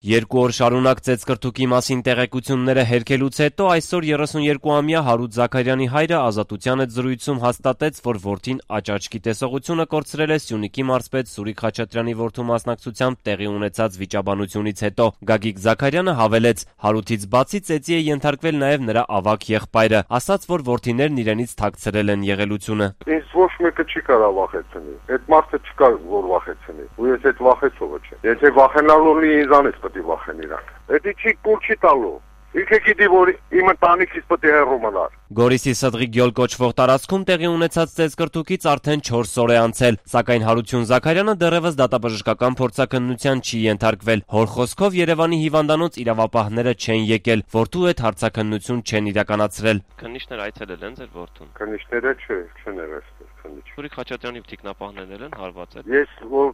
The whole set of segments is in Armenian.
Երկու օր շարունակ ծեծկրտուկի մասին տեղեկությունները հերքելուց հետո այսօր 32-ամյա Հարութ Զաքարյանի հայրը Ազատության հետ զրույցում հաստատեց, որ որդին աճաճկի տեսողությունը կորցրել է Սյունիքի մարզպետ Սուրիկ Խաչատրյանի որդու մասնակցությամբ տեղի ունեցած վիճաբանությունից հետո։ Գագիկ Զաքարյանը հավելեց, Հարութից բացի ծեծի է ենթարկվել նաև նրա ավագ եղբայրը, ասաց, որ որդիներն իրենից թաքցրել են եղելությունը։ Ինձ ոչ մեկը չի կարող վախեցնել, այդ մարդը չկա որ վախեցնի, ու ես այդ վախեցողը չեմ, եթե վախենալու լինի ինձանից վախեն իրանք։ Էդի չի կուլ չի տալու։ Ինքը գիտի, որ իմ ընտանիքից պետք է հեռու մնար։ Գորիսի Սդղի գյոլ կոչվող տարածքում տեղի ունեցած ծեծկրտուկից արդեն 4 օր է անցել, սակայն Հարություն Զաքարյանը դեռևս դատաբժշկական փորձաքննության չի ենթարկվել։ Հոր խոսքով Երևանի հիվանդանոց իրավապահները չեն եկել, որդու հետ հարցաքննություն չեն իրականացրել։ Քննիչներ այցելել են ձեր որդուն։ Քննիչները չեն եղել քննիչ։ Սուրիկ Խաչատրյանի թիկնապահներն են հարվածել։ Ես որ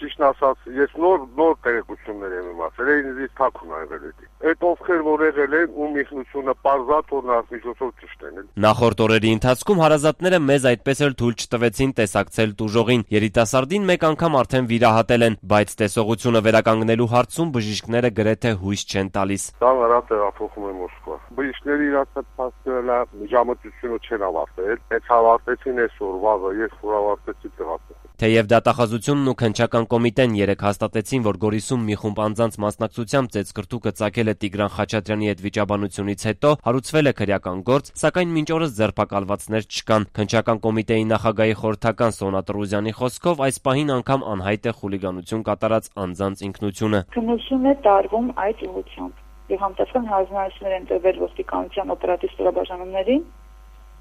ճիշտ ասած, ես նոր տեղեկություններ եմ իմացել, ինձ թաքուն ա եղել էդի։ Այդ ովքեր որ եղել են ու միգնությունը պարզած որ նրանց միջոցով ճշտեն։ Նախորդ օրերի ընթացքում հարազատները մեզ այդպես էլ թույլ չտվեցին տեսակցել տուժողին։ Երիտասարդին մեկ անգամ արդեն վիրահատել են, բայց տեսողությունը վերականգնելու հարցում բժիշկները գրեթե հույս չեն տալիս։ Դա նրա տեղափոխում է Մոսկվա։ Բժիշկների իրացած փաստերը միջամտությունը չեն ավարտել, այդ ավարտեցին այսօր վաղը, ես որ ավարտեցի տեղափոխում։ Թեև դատախազությունն ու քննչական կոմիտեն երեկ հաստատեցին, որ Գորիսում մի խումբ անձանց մասնակցությամբ ծեծկրտուկը ծագել է Տիգրան Խաչատրյանի հետ վիճաբանությունից հետո, հարուցվել է քրեական գործ, սակայն մինչ օրս ձերբակալվածներ չկան։ Քննչական կոմիտեի նախագահի խորհրդական Սոնա Տրուզյանի խոսքով այս պահին անգամ անհայտ է խուլիգանություն կատարած անձանց ինքնությունը։ Քննություն է տարվում այդ ուղղությամբ, եւ համտեսական հանձնարարություններ են տրվել ոստիկանության օպերատիվ ստորաբաժանումներին,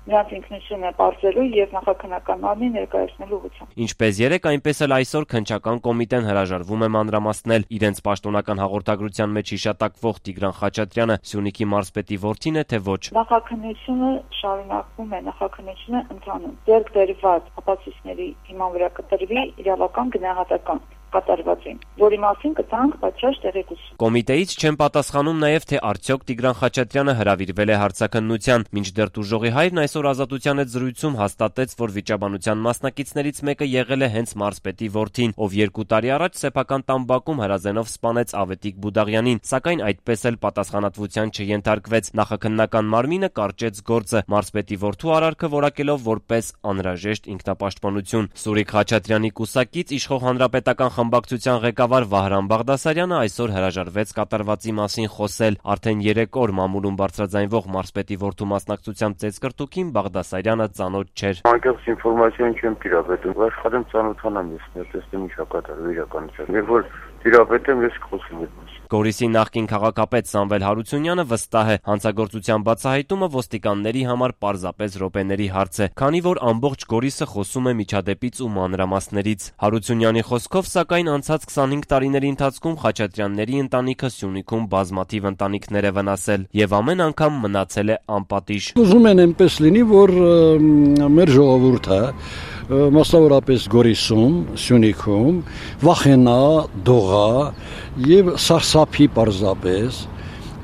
նրանց ինքնությունը պարզելու եւ նախաքննական մարմին ներկայացնելու ուղղությամբ։ Ինչպես երեկ, այնպես էլ այսօր քննչական կոմիտեն հրաժարվում է մանրամասնել իրենց պաշտոնական հաղորդագրության մեջ հիշատակվող Տիգրան Խաչատրյանը Սյունիքի մարզպետի որդին է, թե ոչ։ Նախաքննությունը շարունակվում է, նախաքննությունը ընթանում։ Ձեռք բերված ապացույցների հիման վրա կտրվի իրավական գնահատական կատարվածին, որի մասին կտանք պատշաճ տեղեկություն։ Կոմիտեից չեն պատասխանում նաև, թե արդյոք Տիգրան Խաչատրյանը հրավիրվել է հարցաքննության, մինչդեռ տուժողի հայրն այսօր Ազատության հետ զրույցում հաստատեց, որ վիճաբանության մասնակիցներից մեկը եղել է հենց մարզպետի որդին, ով 2 տարի առաջ սեփական տան հրազենով սպանեց Ավետիք Բուդաղյանին, սակայն այդպես էլ պատասխանատվության չենթարկվեց։ Նախաքննական մարմինը կարճեց գործը, մարզպետի որդու արարքը որակելով որպես անհրաժեշտ ինքնապաշտպանություն։ Սուրիկ Խաչատրյանի կուսակից իշխող հանրապետական խմբակցության ղեկավար Վահրամ Բաղդասարյանը այսօր հրաժարվեց կատարվածի մասին խոսել։ Արդեն 3 օր մամուլում բարձրաձայնվող մարզպետի որդու մասնակցությամբ ծեծկրտուկին Բաղդասարյանը ծանոթ չէր։ Անկեղծ ինֆորմացիան չեմ տիրապետում, աշխատեմ ծանոթանամ ես, տեսնեմ ինչ կատարվի իրականության։ Երբ որ տիրապետեմ, ես կխոսեմ այդ մասին։ Գորիսի նախկին քաղաքապետ Սամվել Հարությունյանը վստահ է, հանցագործության բացահայտումը ոստիկանների համար պարզապես րոպեների հարց է, քանի որ ամբողջ Գորիսը խոսում է միջադեպից ու մանրամասներից։ Հարությունյանի խոսքով, սակայն անցած 25 տարիների ընթացքում Խաչատրյանների ընտանիքը Սյունիքում բազմաթիվ ընտանիքներ է վնասել եւ ամեն անգամ մնացել է անպատիժ։ Ուզում են այնպես լինի, որ մեր ժողովուրդը մասնավորապես Գորիսում, Սյունիքում վախենա, դողա եւ սարսափի պարզապես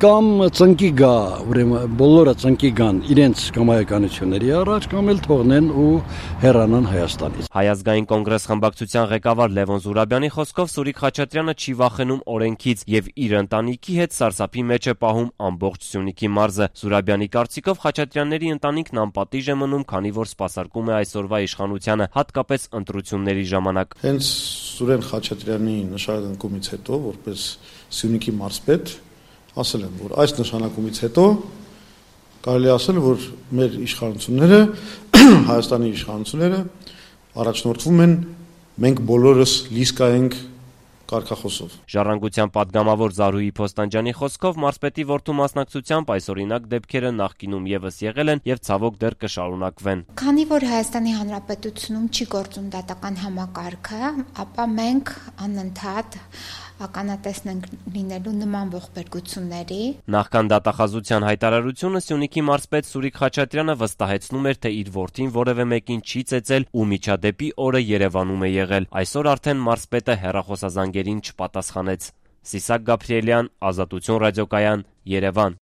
կամ ծնկի գա, ուրեմն բոլորը ծնկի գան իրենց կամայականությունների առաջ կամ էլ թողնեն ու հեռանան Հայաստանից։ Հայ ազգային կոնգրես խմբակցության ղեկավար Լևոն Զուրաբյանի խոսքով Սուրիկ Խաչատրյանը չի վախենում օրենքից եւ իր ընտանիքի հետ սարսափի մեջ է պահում ամբողջ Սյունիքի մարզը։ Զուրաբյանի կարծիքով Խաչատրյանների ընտանիքն անպատիժ է մնում, քանի որ սպասարկում է այսօրվա իշխանությանը, հատկապես ընտրությունների ժամանակ։ Հենց Սուրեն Խաչատրյանի նշանակումից հետո, որպես Սյունիքի մարզպետ, ասել եմ, որ այս նշանակումից հետո կարելի ասել, որ մեր իշխանությունները, Հայաստանի իշխանությունները առաջնորդվում են մենք բոլորս լիսկայենք կարգախոսով։ Ժառանգության պատգամավոր Զարուհի Փոստանջյանի խոսքով մարզպետի որդու մասնակցությամբ այսօրինակ դեպքերը նախկինում եւս եղել են եւ ցավոք դեռ կշարունակվեն։ Քանի որ Հայաստանի Հանրապետությունում չի գործում դատական համակարգը, ապա մենք անընդհատ ականատեսն լինելու նման ողբերգությունների։ Նախքան դատախազության հայտարարությունը Սյունիքի մարզպետ Սուրիկ Խաչատրյանը վստահեցնում էր, թե իր որդին որևէ մեկին չի ծեծել ու միջադեպի օրը Երևանում է եղել։ Այսօր արդեն մարզպետը հեռախոսազանգերին չպատասխանեց։ Սիսակ Գաբրիելյան, Ազատություն ռադիոկայան, Երևան։